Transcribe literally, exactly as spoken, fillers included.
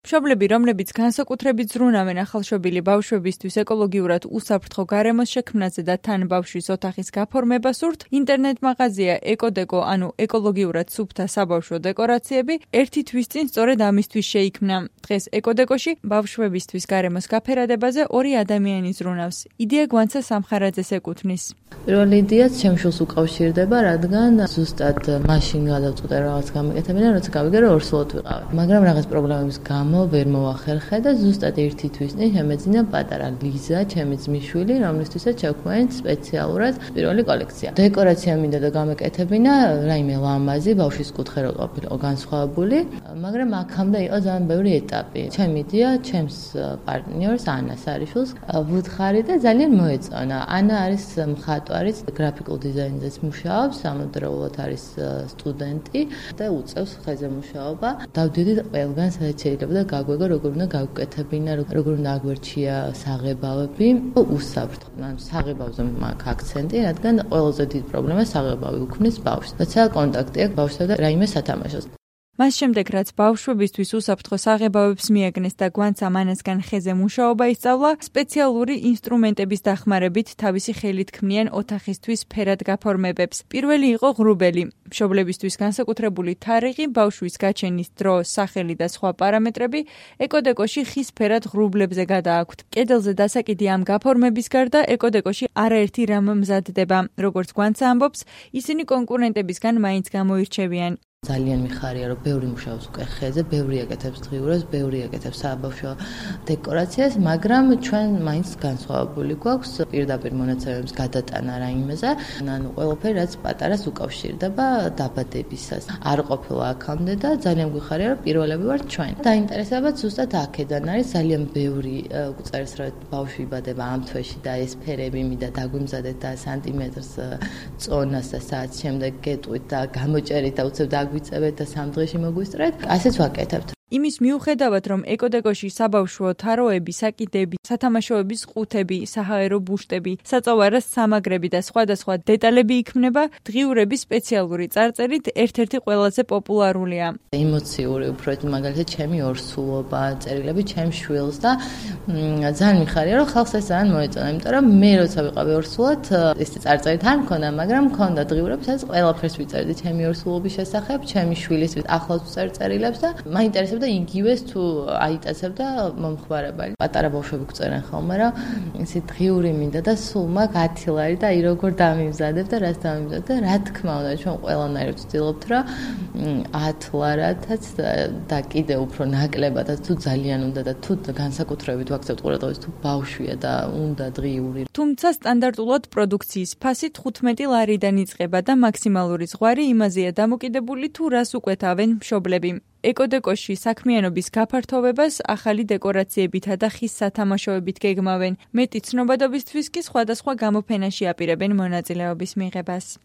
მშობლები, რომლებიც განსაკუთრებით ზრუნავენ ახალშობილი ბავშვებისთვის ეკოლოგიურად უსაფრთხო გარემოს შექმნაზე და თან ბავშვის ოთახის გაფორმება სურთ, ინტერნეტ მაღაზია ეკოდეკო, ანუ ეკოლოგიურად სუფთა საბავშვო დეკორაციები, ერთი თვის წინ სწორედ ამისთვის შეიქმნა. დღეს ეკოდეკოში ბავშვებისთვის გარემოს გაფერადებაზე ორი ადამიანი ზრუნავს. იდეა გვანცა სამხარაძეს ეკუთვნის. პირველი იდეაც ჩემს შულს უკავშირდება, რადგან ზუსტად მაშინ გადავწყვიტე რაღაც გამეკეთებინა, როცა გავიგე რომ ორსულად ვიყავ. მაგრამ რაღაც პრობლემების გამო ვერ მოვახერხე და ზუსტად ერთი თვის წინ შემეძინა პატარა ლიზა, ჩემი ძმისშვილი, რომლისთვისაც შევქმნით სპეციალურად პირველი კოლექცია. დეკორაცია მინდა და გამეკეთებინა, რაიმე ლამაზი, ბავშვის კუთხე რო ყოფილიყო განსხვავებული, მაგრამ აქამდე იყო ძალიან ბევრი ეტაპი. ჩემი იდეა ჩემს პარტნიორს ანას არიშვილს ვუთხარი და ძალიან მოეწონა. ანა არის მხატვარი, გრაფიკულ დიზაინზეც მუშაობს, ამავდროულად არის სტუდენტი და უწევს ხეზე მუშაობა. დავდივდით ყველგან, სადაც შეიძლება და გაგვეგო როგორ უნდა გავუკეთებინა, როგორ უნდა აგვერჩია საღებავები, უსაფრთხო. ანუ საღებავზე მაქვს აქცენტი, რადგან ყველაზე დიდი პრობლემა საღებავი უქმნის ბავშვს. როცა კონტაქტი აქვს ბავშვსა და რაიმე სათამაშოს. მას შემდეგ, რაც ბავშვებისთვის უსაფრთხო საღებავებს მიაგნეს და გვანცა მანასგან ხეზე მუშაობა ისწავლა, სპეციალური ინსტრუმენტების დახმარებით თავისი ხელით ქმნიან ოთახისთვის ფერად გაფორმებებს. პირველი იყო ღრუბელი. მშობლებისთვის განსაკუთრებული თარიღი, ბავშვის გაჩენის დრო, სახელი და სხვა პარამეტრები ეკოდეკოში ხის ფერად ღრუბლებზე გადააქვთ. კედელზე დასაკიდი ამ გაფორმების გარდა ეკოდეკოში არაერთი რამ მზადდება. როგორც გვანცა ამბობს, ისინი კონკურენტებისგან მაინც გამოირჩევიან. ძალიან მიხარია, რომ ბევრი მუშაობს უკვე ხეზე, ბევრი აკეთებს დღიურებს, ბევრი აკეთებს საბავშვო დეკორაციას, მაგრამ ჩვენ მაინც განსხვავებული გვაქვს პირდაპირ მონაცემების გადატანა რაიმეზე, ანუ ყველაფერი რაც პატარას უკავშირდება დაბადებისას. არ ყოფილა აქამდე და ძალიან გვიხარია, რომ პირველები ვართ ჩვენ. დაინტერესებაც ზუსტად აქედან არის ძალიან ბევრი წერს, რომ ბავშვი იბადება ამ თვეში და ეს ფერები მინდა დაგვიმზადეთ და სანტიმეტრს წონას და საათს შემდეგ გეტყვით და გამოჭერით და უცებ ვიწევეთ და სამ დღეში მოგვისწრეთ, ასეც ვაკეთებთ. იმის მიუხედავად, რომ ეკოდეკოში საბავშვო თაროები, საკიდები, სათამაშოების ყუთები, საჰაერო ბუშტები, საწოვარას სამაგრები და სხვადასხვა დეტალები იქმნება, დღიურების სპეციალური წარწერით ერთ-ერთი ყველაზე პოპულარულია. ემოციური უფრო მაგალითად ჩემი ორსულობა, წერილები ჩემს შვილს და ძალიან მიხარია, რომ ხალხს ეს ძალიან მოეწონა, იმიტომ რომ მე როცა ვიყავი ორსულად, ეს წარწერით არ მქონდა, მაგრამ მქონდა დღიურები, სადაც ყველაფერს ვიწერდი ჩემი ორსულობის შესახებ, ჩემი შვილის ახლავს წერილებს და მაინტერესებდა და იგივეს თუ აიტაცებდა მომხმარებელი. პატარა ბავშვები გვწერენ ხოლმე, რომ ისე დღიური მინდა და სულ მაქვს ათი ლარი და აი როგორ დამიმზადებ და რას დამიმზადებ და რა თქმა უნდა, ჩვენ ყველანაირად ვცდილობთ, რომ ათ ლარათაც და კიდე უფრო ნაკლებადაც თუ ძალიან უნდა და თუ განსაკუთრებით ვაქცევთ ყურადღებას თუ ბავშვია და უნდა დღიური. თუმცა სტანდარტულად პროდუქციის ფასი თხუთმეტი ლარიდან იწყება და მაქსიმალური ზღვარი იმაზეა დამოკიდებული თუ რას უკვეთავენ მშობლები. ეკოდეკოში საქმიანობის გაფართოვებას ახალი დეკორაციებითა და ხის სათამაშოებით გეგმავენ. მეტი ცნობადობისთვის კი სხვადასხვა გამოფენაში აპირებენ მონაწილეობის მიღებას.